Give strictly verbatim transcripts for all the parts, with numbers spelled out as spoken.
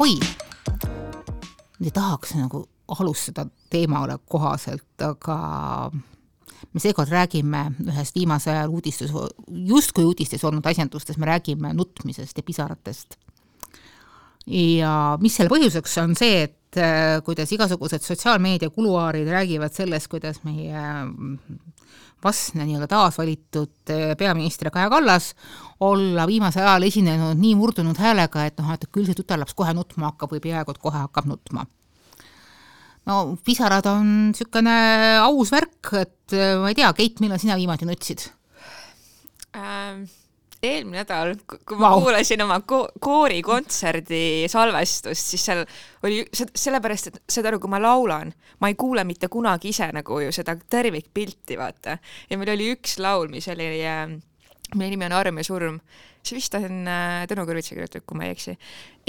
ahoi, ei tahaks nagu alustada teemale kohaselt, aga me seekord räägime ühest viimase ajal uudistes, justkui uudistes olnud asjandustes, me räägime nutmisest ja pisaratest. Ja mis selle põhjuseks on see, et kuidas igasugused sotsiaalmeedia kuluaarid räägivad sellest, kuidas meie vastne nii-öelda taasvalitud peaministri Kaja Kallas olla viimase ajal esinenud nii murdunud häälega, et, noh, et küll see tütarlaps kohe nutma hakkab või peaaegu kohe hakkab nutma. No pisarad on sükene aus värk, et ma ei tea, Keit, millal sina viimati nutsid? Ähm, eelmine nädal, kui ma wow. kuulasin oma ko- koorikontserdi salvestust, siis seal oli sellepärast, et seda, kui ma laulan, ma ei kuule mitte kunagi ise nagu ju seda tervikpilti, vaata. Ja meil oli üks laul, mis oli, meie nimi on Arm ja surm. See vist on Tõnu Kõrvitsa kirjutatud, kui ma ei eksi.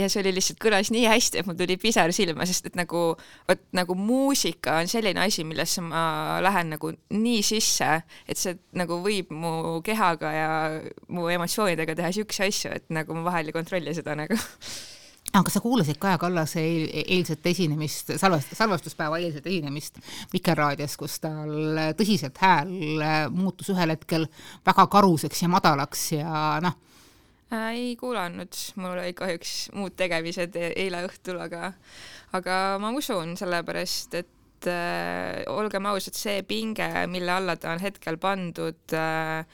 Ja see oli lihtsalt kõlas nii hästi, et mul tuli pisar silma, sest et nagu, võt, nagu muusika on selline asi, millesse ma lähen nagu nii sisse, et see nagu võib mu kehaga ja mu emotsioonidega teha siukse asju, et nagu ma vahel ei kontrolli seda nagu. Aga sa kuulasid Kaja Kallase eilset esinemist, salvestuspäeva eilset esinemist Vikerraadios, kus tal tõsiselt hääl muutus ühel hetkel väga karuseks ja madalaks ja noh, ei kuulanud, mul oli kahjuks muud tegemised eile õhtul, aga, aga ma usun sellepärast, et äh, olgem ausad, see pinge, mille alla ta on hetkel pandud äh,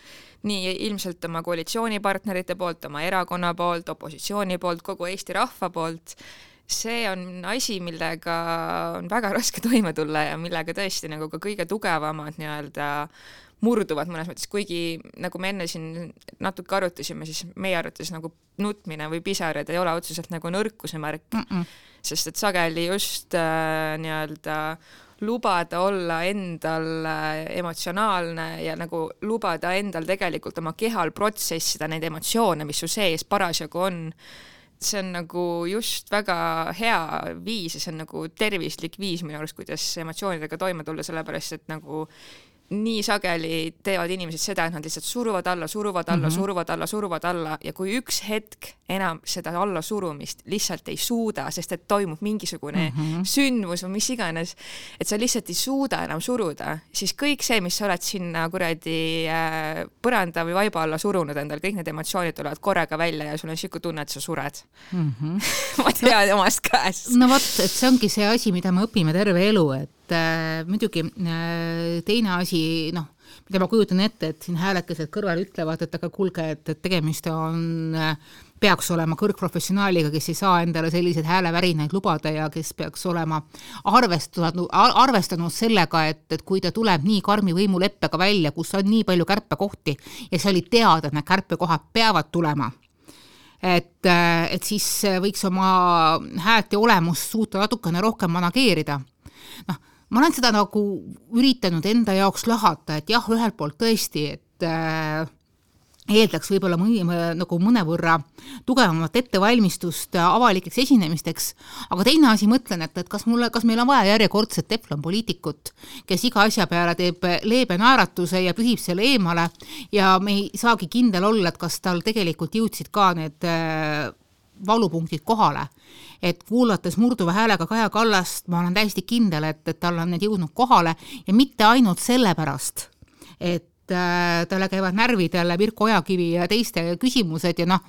nii ilmselt oma koalitsioonipartnerite poolt, oma erakonna poolt, opositsiooni poolt, kogu Eesti rahva poolt, see on asi, millega on väga raske toime tulla ja millega tõesti nagu ka kõige tugevamad nii-öelda murduvad mõnes mõttes, kuigi nagu me enne siin natuke arutasime, siis meie arvates nagu nutmine või pisarad ei ole otseselt nagu nõrkuse märk, Mm-mm. sest et sageli just äh, nii-öelda lubada olla endal emotsionaalne ja nagu lubada endal tegelikult oma kehal protsessida neid emotsioone, mis su sees parasjagu on, see on nagu just väga hea viis ja see on nagu tervislik viis minu arust, kuidas emotsioonidega toime tulla, sellepärast, et nagu nii sageli teevad inimesed seda, et nad lihtsalt suruvad alla, suruvad alla, mm-hmm. suruvad alla, suruvad alla ja kui üks hetk enam seda alla surumist lihtsalt ei suuda, sest et toimub mingisugune mm-hmm. sündmus või mis iganes, et sa lihtsalt ei suuda enam suruda, siis kõik see, mis sa oled sinna kuradi äh, põranda või vaiba alla surunud endal, kõik need emotsioonid tulevad korraga välja ja sul on siuke tunne, et sa sured. Mm-hmm. ma tean no, omast käest. No vot, et see ongi see asi, mida me õpime terve elu, et Äh, muidugi äh, teine asi, noh, mida ma kujutan ette, et siin häälekesed kõrval ütlevad, et aga kulge, et, et tegemist on, äh, peaks olema kõrgprofessionaaliga, kes ei saa endale sellised häälevärinaid lubada ja kes peaks olema arvestanud, arvestanud sellega, et, et kui ta tuleb nii karmi võimuleppega välja, kus on nii palju kärpekohti ja see oli teada, et need kärpekohad peavad tulema, et, et siis võiks oma häält ja olemust suuta natukene rohkem manageerida. Noh, ma olen seda nagu üritanud enda jaoks lahata, et jah, ühelt poolt tõesti, et äh, eeldaks võib-olla mõni, nagu mõnevõrra tugevamat ettevalmistust avalikeks esinemisteks, aga teine asi mõtlen, et, et kas, mulle, kas meil on vaja järjekordset teflon poliitikut, kes iga asja peale teeb leebe naeratuse ja pühib selle eemale ja me ei saagi kindel olla, et kas tal tegelikult jõudsid ka need äh, valupunktid kohale. Et kuulates murduva häälega Kaja Kallast, ma olen täiesti kindel, et, et tal on need jõudnud kohale ja mitte ainult sellepärast, et äh, talle käivad närvidele Mirko Ojakivi ja teiste küsimused ja noh,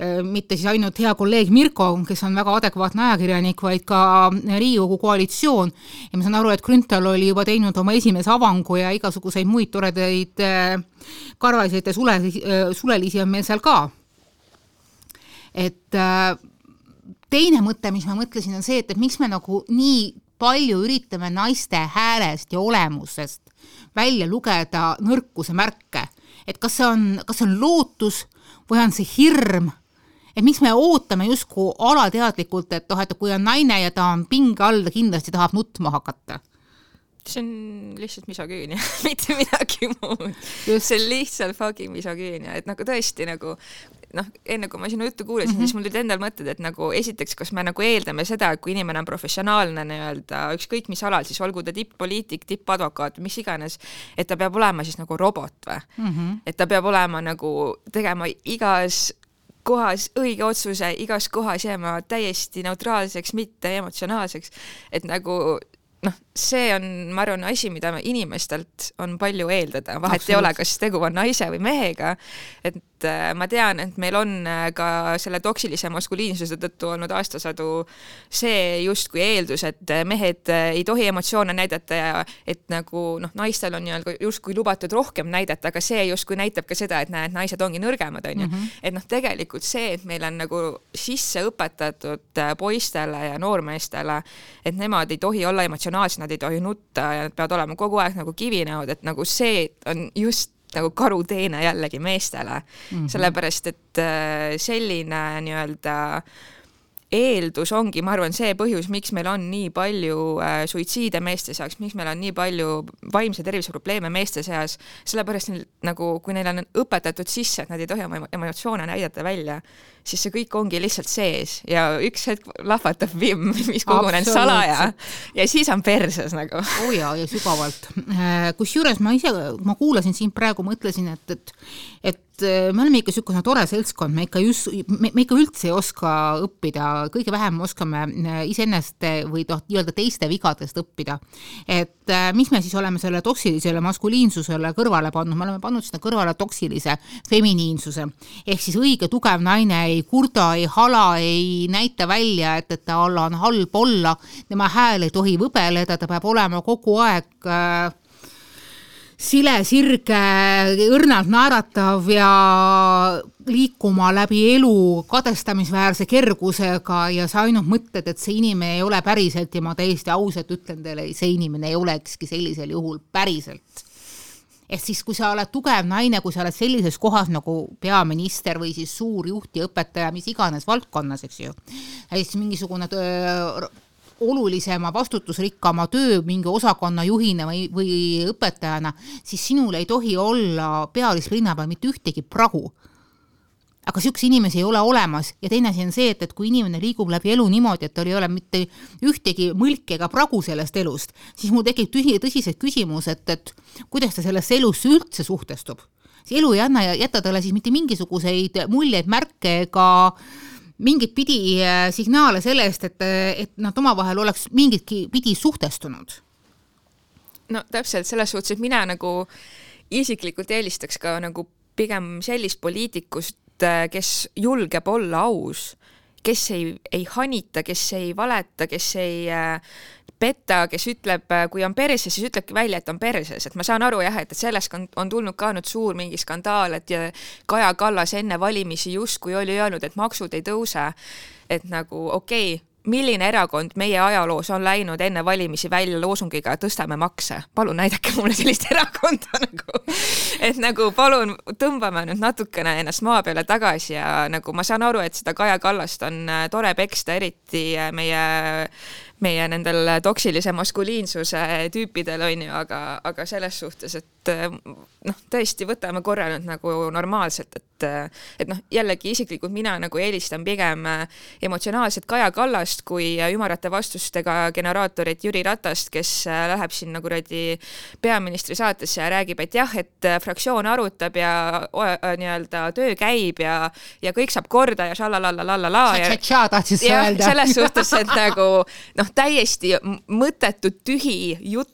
äh, mitte siis ainult hea kolleeg Mirko, kes on väga adekvaatne ajakirjanik, vaid ka Riigikogu koalitsioon ja ma saan aru, et Grünthal oli juba teinud oma esimese avangu ja igasuguseid muid toredaid äh, karvasid ja sule, äh, sulelisi on meil seal ka. Et äh, teine mõte, mis ma mõtlesin, on see, et, et miks me nagu nii palju üritame naiste häälest ja olemusest välja lugeda nõrkuse märke. Et kas see on, kas see on lootus või on see hirm? Et miks me ootame justkui alateadlikult, et, oh, et kui on naine ja ta on pinge all, ta kindlasti tahab nutma hakata? See on lihtsalt misogüünia, mitte midagi muud. See on lihtsalt fucking misogüünia, et nagu tõesti nagu noh, enne kui ma sinu juttu kuulasin, mm-hmm. siis mul tulid endal mõtted, et nagu esiteks, kas me nagu eeldame seda, et kui inimene on professionaalne nii-öelda, ükskõik mis alal, siis olgu ta tipp-poliitik, tipp-advokaat, mis iganes, et ta peab olema siis nagu robot või? Mm-hmm. Et ta peab olema nagu tegema igas kohas õige otsuse, igas kohas jääma täiesti neutraalseks, mitte emotsionaalseks, et nagu noh, see on, ma arvan, asi, mida inimestelt on palju eeldada, vahet Absolut. Ei ole, kas tegu on naise või mehega, et ma tean, et meil on ka selle toksilise maskuliinsuse tõttu olnud aastasadu see justkui eeldus, et mehed ei tohi emotsioone näidata ja et nagu noh, naistel on justkui lubatud rohkem näidata, aga see justkui näitab ka seda, et näed, naised ongi nõrgemad, on ju. Mm -hmm. Et noh, tegelikult see, et meil on nagu sisse õpetatud poistele ja noormeestele, et nemad ei tohi olla emotsionaalsed, nad ei tohi nutta ja nad peavad olema kogu aeg nagu kivinäod, et nagu see on just nagu karuteene jällegi meestele, mm -hmm. sellepärast et selline nii-öelda eeldus ongi, ma arvan, see põhjus, miks meil on nii palju äh, suitsiide meeste seas, miks meil on nii palju vaimse tervise probleeme meeste seas, sellepärast nagu, kui neil on õpetatud sisse, et nad ei tohi oma emotsioone näidata välja, siis see kõik ongi lihtsalt sees ja üks hetk lahvatab vimm, mis kogunen salaja ja siis on perses nagu. Oh ja, ja sügavalt. Kusjuures ma ise, ma kuulasin siin praegu, mõtlesin, et, et, et me oleme ikka sükkusena tore seltskond, me ikka, just, me, me ikka üldse ei oska õppida, kõige vähem oskame iseennast või toh, nii-öelda teiste vigadest õppida. Et mis me siis oleme selle toksilisele maskuliinsusele kõrvale pannud, me oleme pannud sinna kõrvale toksilise feminiinsuse. Ehk siis õige tugev naine ei kurda, ei hala, ei näita välja, et, et ta olla on halb olla, tema hääl ei tohi võbeleda, ta peab olema kogu aeg äh, sile, sirge, õrnalt naeratav ja liikuma läbi elu kadestamisväärse kergusega ja sa ainult mõtled, et see inimene ei ole päriselt ja ma täiesti ausalt ütlen teile, see inimene ei olekski sellisel juhul päriselt. Et siis, kui sa oled tugev naine, kui sa oled sellises kohas nagu peaminister või siis suur juht ja õpetaja, mis iganes valdkonnas, eks ju, ja siis mingisugune töö, olulisema vastutusrikkama töö mingi osakonna juhina või, või õpetajana, siis sinul ei tohi olla pealisrinna peal mitte ühtegi pragu. Aga sükse inimesi ei ole olemas ja teine asi on see, et, et kui inimene liigub läbi elu niimoodi, et tal ei ole mitte ühtegi mõlki ega pragu sellest elust, siis mul tekib tühi, tõsised küsimus, et, et kuidas ta sellest elusse üldse suhtestub. See elu ei anna ja jätta talle siis mitte mingisuguseid muljeid, märke ega mingit pidi signaale sellest, et, et nad omavahel oleks mingitki pidi suhtestunud. No täpselt selles suhtes, et mina nagu isiklikult eelistaks ka nagu pigem sellist poliitikust, kes julgeb olla aus, kes ei, ei hanita, kes ei valeta, kes ei petta, kes ütleb, kui on perses, siis ütlebki välja, et on perses. Et ma saan aru jah, et sellest on, on tulnud ka nüüd suur mingi skandaal, et Kaja Kallas enne valimisi justkui oli öelnud, et maksud ei tõuse. Et nagu okei, okay, milline erakond meie ajaloos on läinud enne valimisi välja loosungiga tõstame makse? Palun näidake mulle sellist erakonda nagu. Et nagu palun tõmbame nüüd natukene ennast maa peale tagasi ja nagu ma saan aru, et seda Kaja Kallast on tore peksta eriti meie meie nendel toksilise maskuliinsuse tüüpidel on ju, aga, aga selles suhtes, et noh, tõesti võtame korra nüüd nagu normaalselt, et, et noh, jällegi isiklikult mina nagu eelistan pigem emotsionaalset Kaja Kallast kui ümarate vastustega generaatorit Jüri Ratast, kes läheb siin nagu rõdi peaministri saatesse ja räägib, et jah, et fraktsioon arutab ja nii-öelda töö käib ja, ja kõik saab korda ja šalalalala ja, ja selles suhtes, et nagu noh, täiesti mõttetu tühi jutt,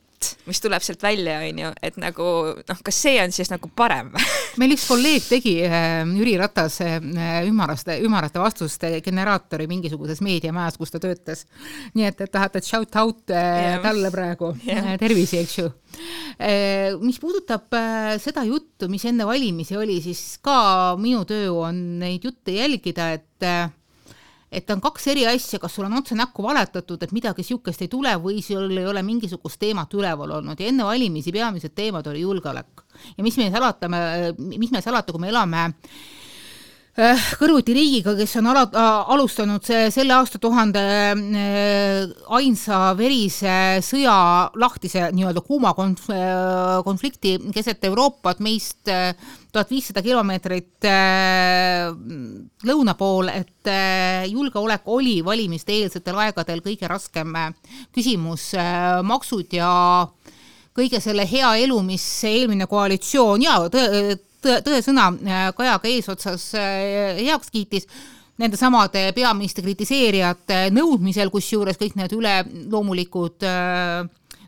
mis tuleb sealt välja, on ju, et nagu, noh, kas see on siis nagu parem? Meil üks kolleeg tegi Jüri Ratas ümaraste, ümarate vastuste generaatori mingisuguses meediamajas, kus ta töötas. Nii et, et tahate shout out yeah. talle praegu. Yeah. Tervisi, eks ju. Mis puudutab seda juttu, mis enne valimisi oli, siis ka minu töö on neid jutte jälgida, et et on kaks eri asja, kas sul on otse näkku valetatud, et midagi siukest ei tule või sul ei ole mingisugust teemat üleval olnud ja enne valimisi peamised teemad oli julgeolek. Ja mis me salata, mis me salata, kui me elame kõrvuti riigiga, kes on ala, alustanud see, selle aasta tuhande ainsa verise sõja lahtise nii-öelda kuuma konflikti keset Euroopat meist tuhat viissada kilomeetrit lõuna pool, et julgeolek oli valimiste eelsetel aegadel kõige raskem küsimus, maksud ja kõige selle hea elu, mis eelmine koalitsioon ja tõe, tõesõna Kajaga eesotsas heaks kiitis nende samade peaministri kritiseerijate nõudmisel, kus juures kõik need üle loomulikud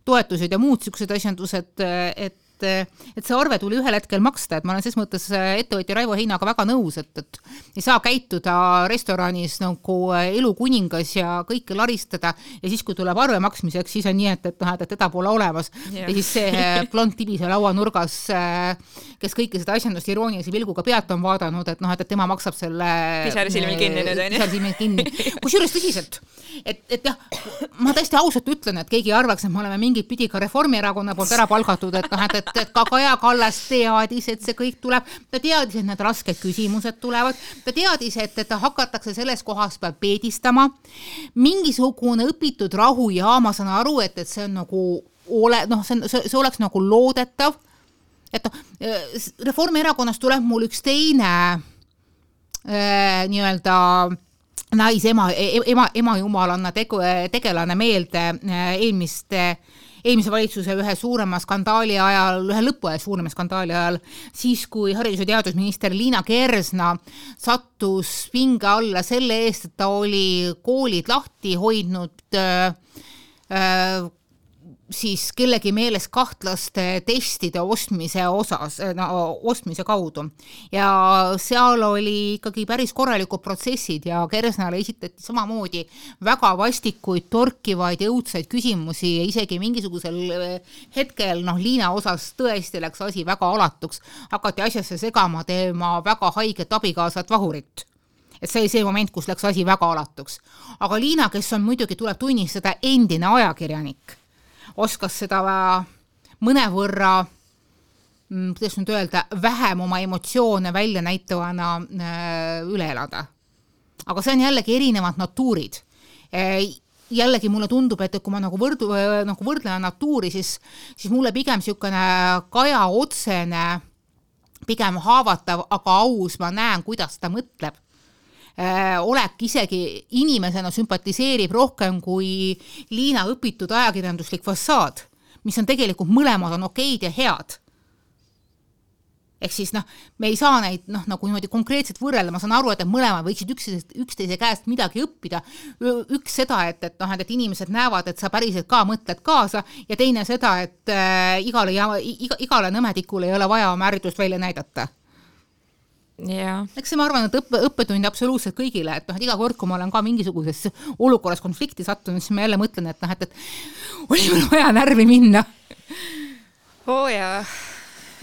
toetused ja muud sellised asjandused, et et see arve tuli ühel hetkel maksta, et ma olen ses mõttes ettevõtja Raivo Heinaga väga nõus, et, et ei saa käituda restoranis nagu elukuningas ja kõike laristada ja siis, kui tuleb arve maksmiseks, siis on nii, et, et, et teda pole olemas yeah. ja siis see blond tibi seal lauanurgas, kes kõike seda asjandust iroonilise pilguga pealt on vaadanud, et noh, et tema maksab selle pisarsilmil kinni nüüd, on ju? kinni. Kus juures tõsiselt, et, et jah, ma tõesti ausalt ütlen, et keegi arvaks, et me oleme mingit pidi ka Reformierakonna poolt ära palgatud, et noh, et et ka Kaja Kallas teadis, et see kõik tuleb, ta teadis, et need rasked küsimused tulevad, ta teadis, et, et hakatakse selles kohas peal peedistama, mingisugune õpitud rahujaama, saan aru, et, et see on nagu ole, noh, see, see, see oleks nagu loodetav, et Reformierakonnast tuleb mul üks teine äh, nii-öelda nais ema, ema, ema jumalanna tegu, tegelane meelde eelmiste eelmise valitsuse ühe suurema skandaali ajal, ühe lõpu ajal suurema skandaali ajal, siis kui haridus- ja teadusminister Liina Kersna sattus pinge alla selle eest, et ta oli koolid lahti hoidnud äh, äh, siis kellegi meeles kahtlaste testide ostmise osas, no, ostmise kaudu. Ja seal oli ikkagi päris korralikud protsessid ja Kersnale esitati samamoodi väga vastikuid, torkivaid ja õudsaid küsimusi ja isegi mingisugusel hetkel, noh, Liina osas tõesti läks asi väga alatuks. Hakati asjasse segama tema väga haiget abikaasat Vahurit. Et see oli see moment, kus läks asi väga alatuks. Aga Liina, kes on muidugi tuleb tunnistada endine ajakirjanik, oskas seda mõnevõrra, kuidas nüüd öelda, vähem oma emotsioone välja näitavana üle elada. Aga see on jällegi erinevad natuurid. Jällegi mulle tundub, et kui ma nagu, võrdu, nagu võrdlen natuuri, siis, siis mulle pigem niisugune Kaja otsene, pigem haavatav, aga aus, ma näen, kuidas ta mõtleb. Olek isegi inimesena sümpatiseerib rohkem kui Liina õpitud ajakirjanduslik fassaad, mis on tegelikult mõlemad on okeid ja head. Ehk siis noh, me ei saa neid noh, nagu niimoodi konkreetselt võrrelda, ma saan aru, et mõlemad võiksid üksteise, üksteise käest midagi õppida. Üks seda, et, et, noh, et inimesed näevad, et sa päriselt ka mõtled kaasa ja teine seda, et äh, igale, iga, igale nõmedikule ei ole vaja oma ärritust välja näidata. Yeah. Eks see ma arvan, et õppe, õppetund absoluutselt kõigile, et, noh, et iga kord, kui ma olen ka mingisuguses olukorras konflikti sattunud, siis ma jälle mõtlen, et, noh, et, et oli mul vaja närvi minna. Oo oh, jaa.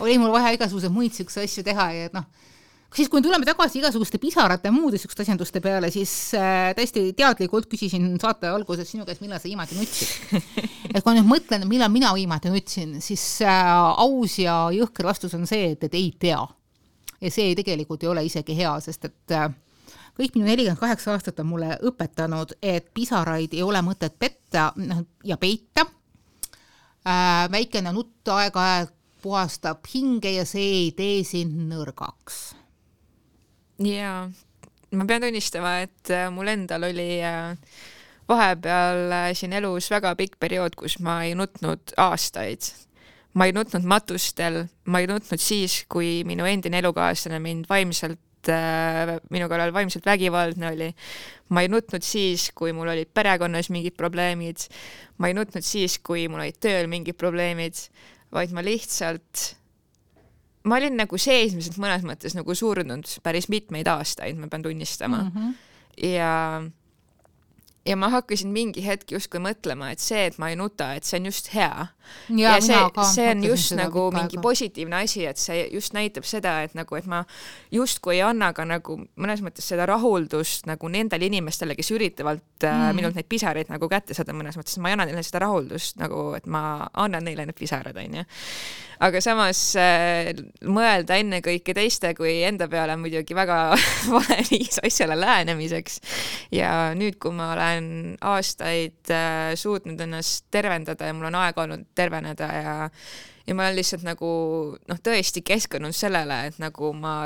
Oli mul vaja igasuguse muid sükse asju teha ja et noh, siis kui tuleme tagasi igasuguste pisarate ja muude sükste asjanduste peale, siis äh, täiesti teadlikult küsisin saate alguses sinu käest, millal sa viimati nutsid. Et kui nüüd mõtlen, millal mina viimati nutsin, siis äh, aus ja jõhker vastus on see, et, et ei tea. Ja see tegelikult ei ole isegi hea, sest et kõik minu nelikümmend kaheksa aastat on mulle õpetanud, et pisaraid ei ole mõtet petta ja peita. Väikene nutt aeg-ajalt puhastab hinge ja see ei tee sind nõrgaks. Jaa, ma pean tunnistama, et mul endal oli vahepeal siin elus väga pikk periood, kus ma ei nutnud aastaid. Ma ei nutnud matustel, ma ei nutnud siis, kui minu endine elukaaslane mind vaimselt, äh, minu kallal vaimselt vägivaldne oli. Ma ei nutnud siis, kui mul olid perekonnas mingid probleemid. Ma ei nutnud siis, kui mul olid tööl mingid probleemid, vaid ma lihtsalt, ma olin nagu seesmiselt mõnes mõttes nagu surnud päris mitmeid aastaid, ma pean tunnistama. Mm-hmm. Ja Ja ma hakkasin mingi hetk justkui mõtlema, et see, et ma ei nuta, et see on just hea. Ja, ja see, see on just nagu mingi positiivne asi, et see just näitab seda, et, nagu, et ma justkui ei anna ka nagu mõnes mõttes seda rahuldust nagu nendele inimestele, kes üritavad mm. minult neid pisareid nagu kätte saada mõnes mõttes. Ma ei anna neile seda rahuldust, nagu, et ma annan neile need pisarad. On, ja. Aga samas äh, mõelda enne kõike teiste kui enda peale muidugi väga vale viis asjale lähenemiseks. Ja nüüd, kui ma olen aastaid äh, suutnud ennast tervendada ja mul on aeg olnud terveneda ja, ja ma olen lihtsalt nagu noh, tõesti keskendunud sellele, et nagu ma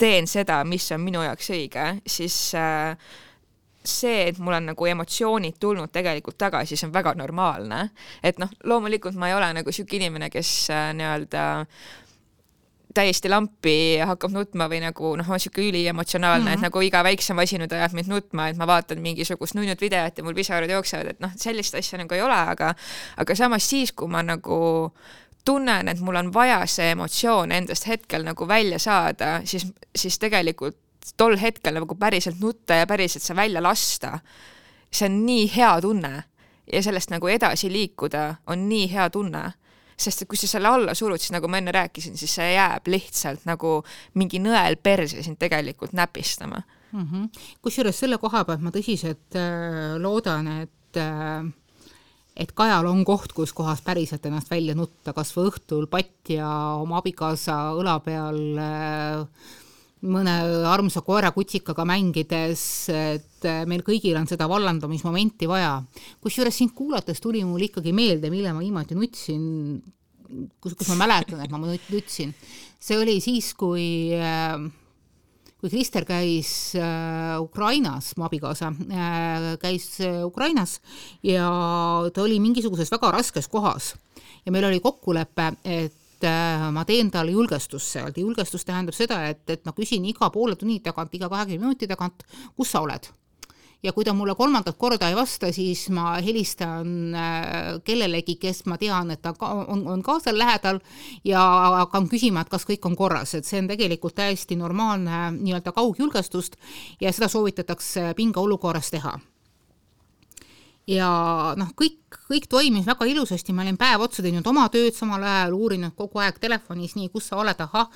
teen seda, mis on minu jaoks õige, siis äh, see, et mul on nagu emotsioonid tulnud tegelikult tagasi, see on väga normaalne. Et noh, loomulikult ma ei ole nagu siuke inimene, kes äh, nii-öelda täiesti lampi ja hakkab nutma või nagu noh, on siuke üli emotsionaalne, mm-hmm. et nagu iga väiksem asi nüüd ajab mind nutma, et ma vaatan mingisugust nunnut videot ja mul pisarad jooksevad, et noh, sellist asja nagu ei ole, aga aga samas siis, kui ma nagu tunnen, et mul on vaja see emotsioon endast hetkel nagu välja saada, siis, siis tegelikult tol hetkel nagu päriselt nutta ja päriselt see välja lasta, see on nii hea tunne ja sellest nagu edasi liikuda on nii hea tunne. Sest et kui sa selle alla surud, siis nagu ma enne rääkisin, siis see jääb lihtsalt nagu mingi nõel perse sind tegelikult näpistama. Mm-hmm. Kusjuures selle koha pealt ma tõsiselt äh, loodan, et, äh, et Kajal on koht, kus kohas päriselt ennast välja nutta, kas või õhtul patt ja oma abikaasa õla peal äh, mõne armsa koera kutsikaga mängides, et meil kõigil on seda vallandamismomenti vaja. Kusjuures sind kuulates tuli mul ikkagi meelde, mille ma viimati nutsin, kus, kus ma mäletan, et ma nutsin. See oli siis, kui, kui Krister käis Ukrainas, mu abikaasa käis Ukrainas ja ta oli mingisuguses väga raskes kohas. Ja meil oli kokkulepe, et ma teen talle julgestust sealt. Julgestus tähendab seda, et, et ma küsin iga poole tunni tagant, iga kahekümne minuti tagant, kus sa oled. Ja kui ta mulle kolmandat korda ei vasta, siis ma helistan kellelegi, kes ma tean, et ta on, on ka seal lähedal ja hakkan küsima, et kas kõik on korras. Et see on tegelikult täiesti normaalne nii-öelda kaugjulgestust ja seda soovitatakse pinga olukorras teha. Ja noh, kõik, kõik toimis väga ilusasti, ma olin päev otsa teinud oma tööd samal ajal, uurinud kogu aeg telefonis, nii, kus sa oled, ahah,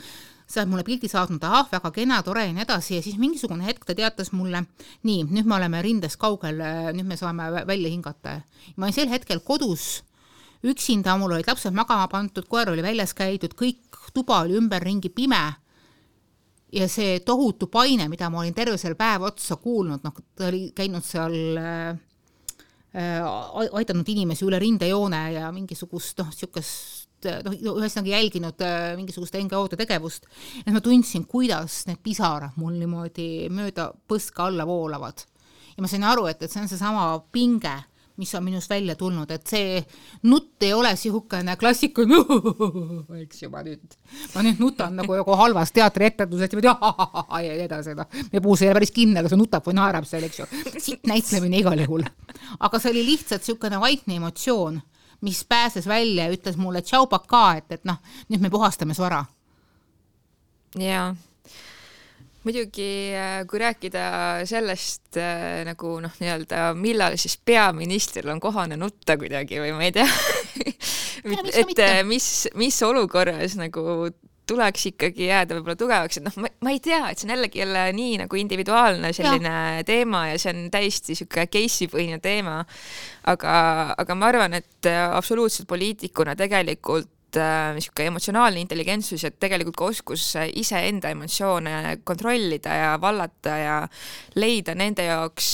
sa oled mulle pildi saatnud, ahah, väga kena, tore ja nii edasi ja siis mingisugune hetk ta teatas mulle, nii, nüüd me oleme rindes kaugel, nüüd me saame välja hingata. Ma olin sel hetkel kodus üksinda, mul olid lapsed magama pandud, koer oli väljas käidud, kõik tuba oli ümberringi pime ja see tohutu paine, mida ma olin terve selle päev otsa kuulnud, noh, ta oli käinud seal aidanud inimesi üle rindejoone ja mingisugust noh, siukest noh, ühesõnaga jälginud mingisugust N G O-de tegevust. Et ma tundsin, kuidas need pisarad mul niimoodi mööda põska alla voolavad. Ja ma sain aru, et, et see on see sama pinge, mis on minust välja tulnud, et see nutt ei ole sihukene klassiku eks ju, ma nüüd, ma nüüd nutan nagu joku halvas teatri etendusest ja ma ja edasi, me puus ei ole päris kinni, aga see nutab või naerab seal, eks ju. Siit näitlemine igal juhul. Aga see oli lihtsalt sihukene vaikne emotsioon, mis pääses välja ja ütles mulle tšau paka, et, et noh, nüüd me puhastame su ära. Jaa. Muidugi, kui rääkida sellest nagu noh, nii-öelda, millal siis peaministril on kohane nutta kuidagi või ma ei tea, et mis, mis olukorras nagu tuleks ikkagi jääda võib-olla tugevaks, et noh, ma, ma ei tea, et see on jällegi jälle nii nagu individuaalne selline ja. teema ja see on täiesti siuke case'i-põhine teema, aga, aga ma arvan, et absoluutselt poliitikuna tegelikult niisugune emotsionaalne intelligentsus ja tegelikult ka oskus ise enda emotsioone kontrollida ja vallata ja leida nende jaoks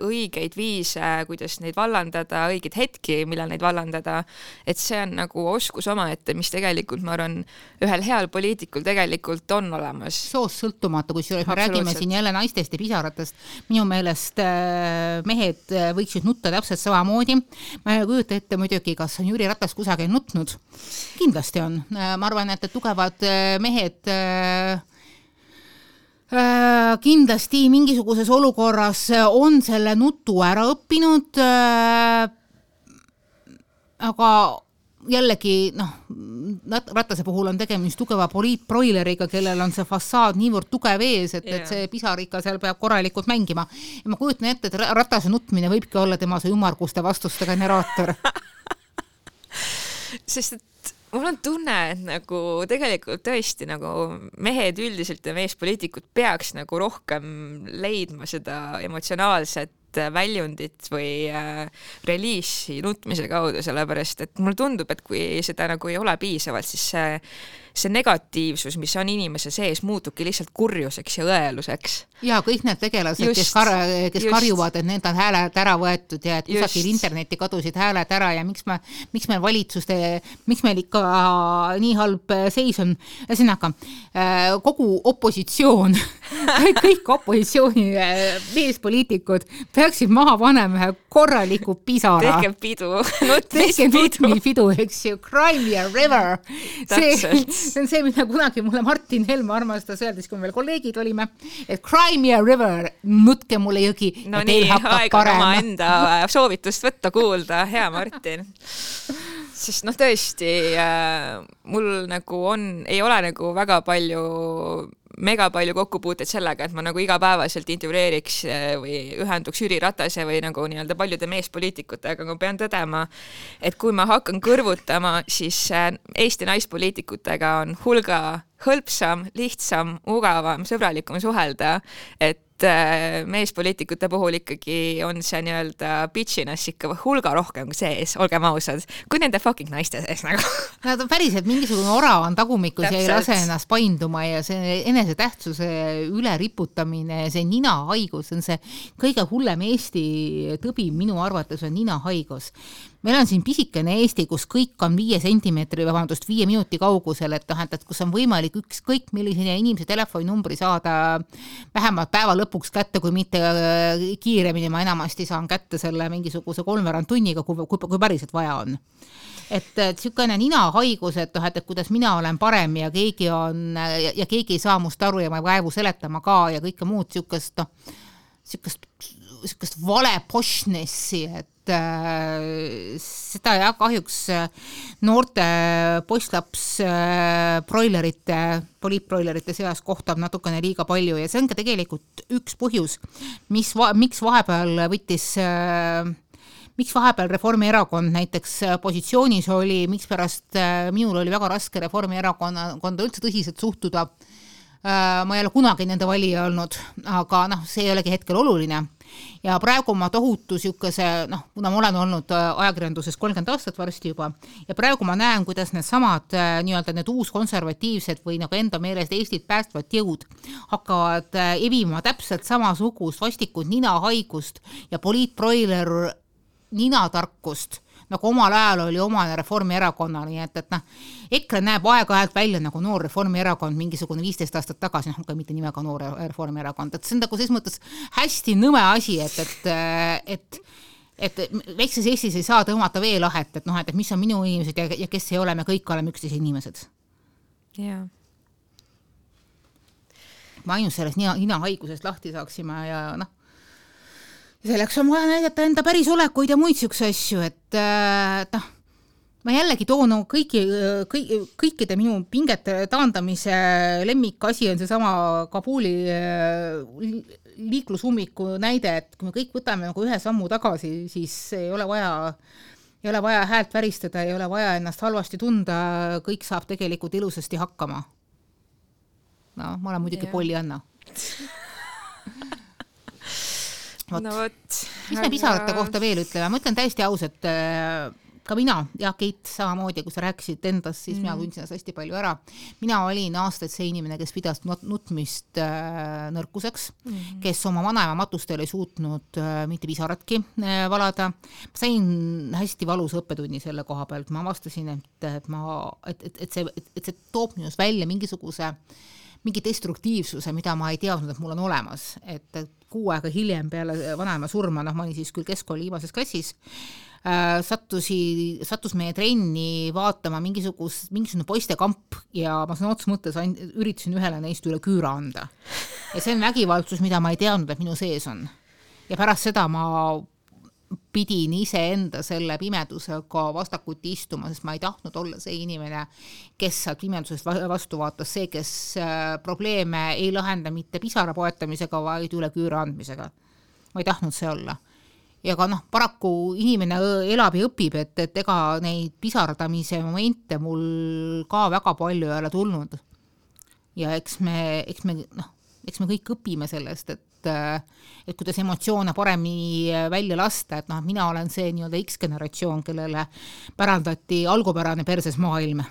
õigeid viise, kuidas neid vallandada, õigeid hetki, millal neid vallandada, et see on nagu oskus omaette, mis tegelikult, ma arvan, ühel heal poliitikul tegelikult on olemas. Soos sõltumata, kui me räägime siin jälle naistest ja pisaratest, minu meelest mehed võiksid nutta täpselt samamoodi. Ma ei kujuta ette muidugi, kas on Jüri Ratas kusagil nutnud. Kindlasti on. Ma arvan, et tugevad mehed kindlasti mingisuguses olukorras on selle nutu ära õppinud, aga jällegi, noh, Ratase puhul on tegemist tugeva poliitbroileriga, kellel on see fassaad niivõrd tugev ees, et, et see pisar ikka seal peab korralikult mängima. Ja ma kujutan ette, et Ratase nutmine võibki olla tema see ümarguste vastuste generaator. Sest et mul on tunne, et nagu tegelikult tõesti nagu mehed üldiselt ja meespoliitikud peaks nagu rohkem leidma seda emotsionaalset väljundit või äh, reliisi nutmise kaudu, sellepärast, et mulle tundub, et kui seda nagu ei ole piisavalt, siis see, see negatiivsus, mis on inimese sees, muutubki lihtsalt kurjuseks ja õeluseks. Ja kõik need tegelased, just, kes, kar kes karjuvad, et need on hääled ära võetud ja et kusagil interneti kadusid hääled ära ja miks, me, miks meil valitsuste, miks meil ikka nii halb seis on. Ühesõnaga, kogu opositsioon, kõik opositsiooni meespoliitikud peaksid maha panema ühe korraliku pisara. Tehke pidu, nutmis Tehke pidu. nutmis pidu, eks ju, Cry Me a River. See, see on see, mida kunagi mulle Martin Helme armastas öeldes, kui me veel kolleegid olime, et Cry Me a River, nutke mulle jõgi no ja teil nii, hakkab parem. No nii, aeg on oma enda soovitust võtta kuulda, hea Martin. Sest noh, tõesti, äh, mul nagu on, ei ole nagu väga palju, mega palju kokkupuuteid sellega, et ma nagu igapäevaselt intervjueeriks või ühenduks Jüri Ratase või nagu nii-öelda paljude meespoliitikutega, aga ma pean tõdema, et kui ma hakkan kõrvutama, siis Eesti naispoliitikutega on hulga hõlpsam, lihtsam, mugavam, sõbralikum suhelda, et meespoliitikute puhul ikkagi on see nii-öelda bitchiness ikka hulga rohkem kui sees, olgem ausad, kui nende fucking naiste sees nagu. Nad on päriselt mingisugune orav on tagumikus ja ei lase ennast painduma ja see enesetähtsuse üleriputamine, see ninahaigus on see kõige hullem Eesti tõbi minu arvates on ninahaigus. Meil on siin pisikene Eesti, kus kõik on viie sentimeetri, vabandust, viie minuti kaugusel, et, et kus on võimalik ükskõik millise inimese telefoninumbri saada vähemalt päeva lõpuks kätte, kui mitte kiiremini ma enamasti saan kätte selle mingisuguse kolmveerand tunniga, kui, kui, kui päriselt vaja on. Et, et sükene ninahaigus, et, et, et kuidas mina olen parem ja keegi on ja, ja keegi ei saa must aru ja ma vaevu seletama ka ja kõike muud sükest, no, sükest, sükest vale pošnessi, et äh, seda ja kahjuks noorte postlaps äh, broilerite, poliitbroilerite seas kohtab natukene liiga palju ja see on ka tegelikult üks põhjus, mis, va, miks vahepeal võttis äh, miks vahepeal Reformierakond näiteks positsioonis oli, miks pärast minul oli väga raske Reformierakonda üldse tõsiselt suhtuda. Ma ei ole kunagi nende valija olnud, aga noh, see ei olegi hetkel oluline. Ja praegu ma tohutu siukese, noh, kuna ma olen olnud ajakirjanduses kolmkümmend aastat varsti juba, ja praegu ma näen, kuidas need samad nii-öelda need uus konservatiivsed või nagu enda meelest Eestit päästvad jõud hakkavad evima täpselt samasugust vastikud ninahaigust ja poliitbroiler ninatarkust, nagu omal ajal oli omane Reformierakonna, nii et, et noh, EKRE näeb aeg-ajalt välja nagu noor Reformierakond mingisugune viisteist aastat tagasi, noh, ka mitte nimega noor Reformierakond, et see on nagu selles mõttes hästi nõme asi, et, et, et, et väikses Eestis ei saa tõmmata veelahet, et noh, et mis on minu inimesed ja, ja kes ei ole, me kõik oleme üksteise inimesed. Jaa. Ma ainult sellest nina, nina haigusest lahti saaksime ja noh, selleks on vaja näidata enda päris olekuid ja muid siukse asju, et noh, ma jällegi toon kõiki, kõik, kõikide minu pingete taandamise lemmikasi on see sama Kabuli liiklusummiku näide, et kui me kõik võtame nagu ühe sammu tagasi, siis ei ole vaja, ei ole vaja häält väristada, ei ole vaja ennast halvasti tunda, kõik saab tegelikult ilusasti hakkama. No, ma olen muidugi yeah. Polli Anna. Võt. No võt. Mis me pisarate kohta veel ütleme? Ma ütlen täiesti aus, et ka mina ja Keit samamoodi, kui sa rääkisid endast, siis mm. mina tundsin hästi palju ära. Mina olin aastaid see inimene, kes pidas nutmist nõrkuseks, mm. kes oma vanaema matustel ei suutnud mitte pisaratki valada. Ma sain hästi valus õppetunni selle koha pealt. Ma avastasin, et, et, ma, et, et, et, see, et see toob minust välja mingisuguse mingi destruktiivsuse, mida ma ei teadnud, et mul on olemas. Et kuu aega hiljem peale vanaema surma, noh, ma olin siis küll keskkooli viimases klassis, äh, sattusi, sattus meie trenni vaatama mingisugus, mingisugune poistekamp ja ma sõna otsa mõttes üritasin ühele neist üle küüra anda. Ja see on vägivaldsus, mida ma ei teadnud, et minu sees on. Ja pärast seda ma pidin ise enda selle pimedusega vastakuti istuma, sest ma ei tahtnud olla see inimene, kes sealt pimedusest vastu vaatas, see, kes probleeme ei lahenda mitte pisara poetamisega, vaid üle küüra andmisega. Ma ei tahtnud see olla. Ja ka noh, paraku inimene elab ja õpib, et, et ega neid pisardamise momente mul ka väga palju ei ole tulnud. Ja eks me, eks me, noh, eks me kõik õpime sellest, et et kuidas emotsioone paremini välja lasta, et noh, mina olen see nii-öelda X-generatsioon, kellele pärandati algupärane perses maailm.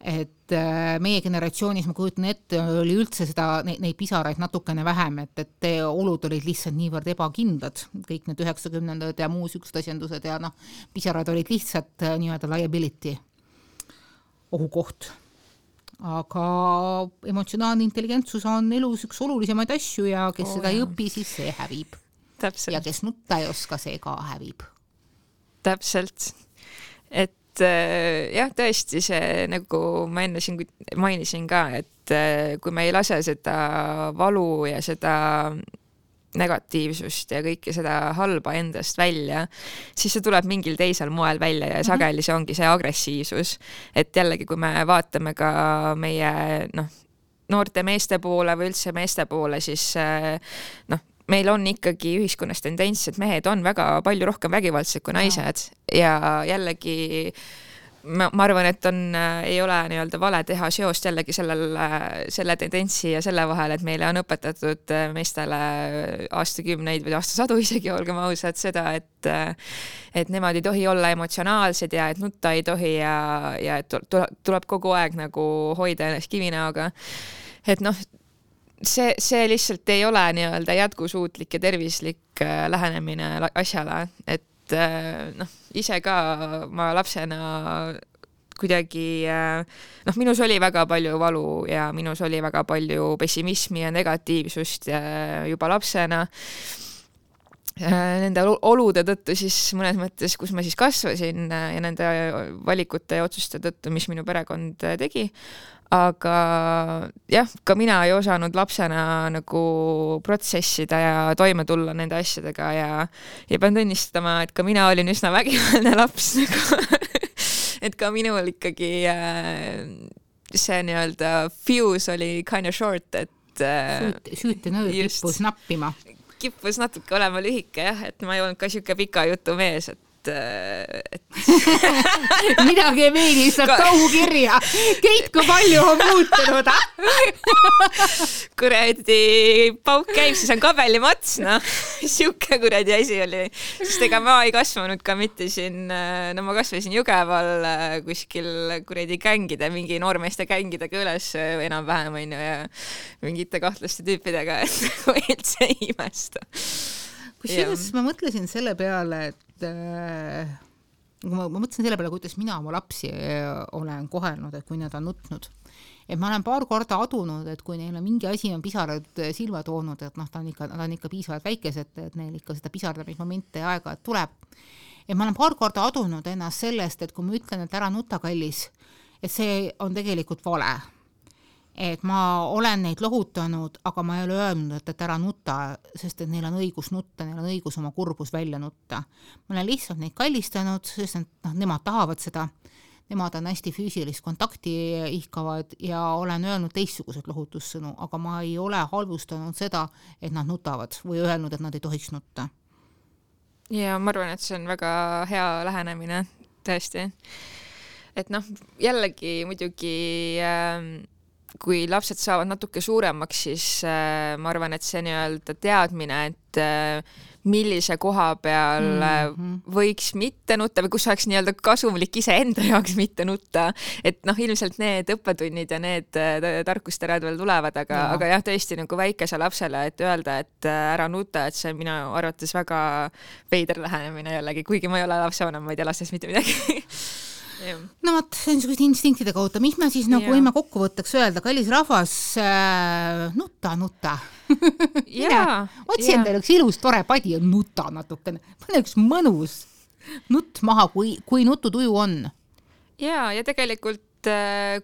Et meie generatsioonis, ma kujutan ette, oli üldse seda, neid, neid pisaraid natukene vähem, et, et olud olid lihtsalt niivõrd ebakindlad, kõik need üheksakümnendad ja muus ükstasiendused ja noh, pisarad olid lihtsalt nii-öelda liability ohukoht. Aga emotsionaalne intelligentsus on elus üks olulisemaid asju ja kes oh, seda ei õpi, siis see hävib. Täpselt. Ja kes nutta ei oska, see ka hävib. Täpselt. Et jah, tõesti see, nagu ma enne siin mainisin ka, et kui me ei lase seda valu ja seda negatiivsust ja kõike seda halba endast välja, siis see tuleb mingil teisel moel välja ja sageli see ongi see agressiivsus. Et jällegi, kui me vaatame ka meie noh, noorte meeste poole või üldse meeste poole, siis noh, meil on ikkagi ühiskonnas tendents, et mehed on väga palju rohkem vägivaldsed kui naised ja jällegi ma, ma arvan, et on, ei ole nii-öelda vale teha seost jällegi sellel, selle tendentsi ja selle vahel, et meile on õpetatud meestele aastakümneid või aastasadu isegi, olgem ausad, seda, et, et nemad ei tohi olla emotsionaalsed ja et nutta ei tohi ja, ja et tuleb kogu aeg nagu hoida ennast kivinäoga. Et noh, see, see lihtsalt ei ole nii-öelda jätkusuutlik ja tervislik lähenemine asjale, et noh, ise ka ma lapsena kuidagi, noh, minus oli väga palju valu ja minus oli väga palju pessimismi ja negatiivsust juba lapsena. Nende olude tõttu siis mõnes mõttes, kus ma siis kasvasin ja nende valikute ja otsuste tõttu, mis minu perekond tegi. Aga jah, ka mina ei osanud lapsena nagu protsessida ja toime tulla nende asjadega ja, ja pean tunnistama, et ka mina olin üsna vägivaldne laps nagu. Et ka minul ikkagi see nii-öelda fuse oli kind of short, et Süüt, süüte nõud kippus nappima. Kippus natuke olema lühike, jah, et ma ei olnud ka siuke pika jutu mees, et et midagi ei meeni, lihtsalt kauhu kirja. Keit, kui palju on muutunud? Kuradi pauk käib, siis on kabelimats, noh. Siuke kuradi asi oli. Sest ega ma ei kasvanud ka mitte siin, no ma kasvasin Jõgeval kuskil kuradi kängide, mingi noormeeste kängidega üles enam-vähem on ju ja mingite kahtlaste tüüpidega, et üldse ei imesta. Kusjuures ma mõtlesin selle peale, et äh, ma, ma mõtlesin selle peale, kuidas mina oma lapsi olen kohelnud, et kui nad on nutnud. Et ma olen paar korda adunud, et kui neil on mingi asi on pisarad silma toonud, et noh, ta on ikka, nad on ikka piisavalt väikesed, et neil ikka seda pisardamismomente ja aega tuleb. Et ma olen paar korda adunud ennast sellest, et kui ma ütlen, et ära nuta kallis, et see on tegelikult vale. Et ma olen neid lohutanud, aga ma ei ole öelnud, et, et ära nutta, sest et neil on õigus nutta, neil on õigus oma kurbus välja nutta. Ma olen lihtsalt neid kallistanud, sest et noh, nemad tahavad seda, nemad on hästi füüsilist kontakti ihkavad ja olen öelnud teistsugused lohutussõnu, aga ma ei ole halvustanud seda, et nad nutavad või öelnud, et nad ei tohiks nutta. Ja ma arvan, et see on väga hea lähenemine, tõesti. Et noh, jällegi muidugi äh, kui lapsed saavad natuke suuremaks, siis äh, ma arvan, et see nii-öelda teadmine, et äh, millise koha peal mm-hmm. võiks mitte nutta või kus oleks nii-öelda kasumlik ise enda jaoks mitte nutta. Et noh, ilmselt need õppetunnid ja need tarkusterad veel tulevad, aga, ja. aga jah, tõesti nagu väikese lapsele, et öelda, et ära nuta, et see minu arvates väga veider lähenemine jällegi, kuigi ma ei ole lapsevanem, ma ei tea lastest mitte midagi. No vot, see on niisugust instinktide kohta. Mis me siis nagu võime kokkuvõtteks öelda? Kallis rahvas, äh, nutta, nutta. Otsi endale üks ilus tore padi ja nuta natukene. Pane üks mõnus nutt maha, kui, kui nututuju on. Ja, ja tegelikult äh,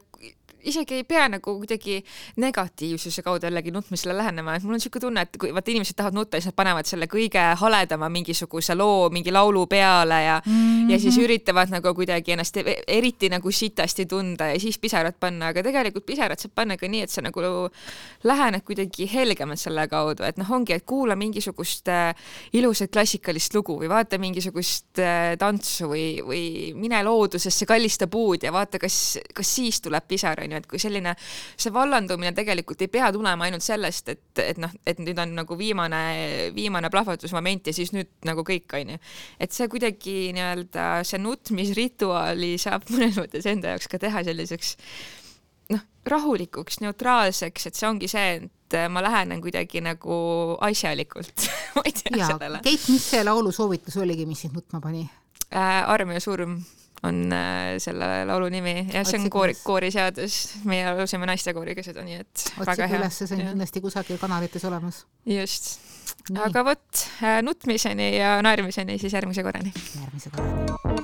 isegi ei pea nagu kuidagi negatiivsuse kaudu jällegi nutmisele lähenema, et mul on siuke tunne, et kui vaata inimesed tahavad nutta, siis nad panevad selle kõige haledama mingisuguse loo, mingi laulu peale ja, mm-hmm. ja siis üritavad nagu kuidagi ennast eriti nagu sitasti tunda ja siis pisarad panna, aga tegelikult pisarad saab panna ka nii, et sa nagu lähened kuidagi helgemalt selle kaudu, et noh, ongi, et kuula mingisugust ilusat klassikalist lugu või vaata mingisugust tantsu või, või mine loodusesse, kallista puud ja vaata, kas, kas siis tuleb pisar, on ju, et kui selline, see vallandumine tegelikult ei pea tulema ainult sellest, et, et noh, et nüüd on nagu viimane, viimane plahvatusmoment ja siis nüüd nagu kõik, on ju. Et see kuidagi nii-öelda, see nutmisrituaali saab mõnes mõttes enda jaoks ka teha selliseks noh, rahulikuks, neutraalseks, et see ongi see, et ma lähenen kuidagi nagu asjalikult. Ma ei tea ja, sellele. Keit, mis see laulu soovitus oligi, mis sind nutma pani? Äh, arm ja surm. on selle laulu nimi ja see on koori, kooriseadus, meie laulsime naistekooriga seda, nii et Otsib väga hea. Üles, see on kindlasti kusagil kanalites olemas. Just. Nii. Aga võt, nutmiseni ja naermiseni siis järgmise korrani. Järgmise korrani.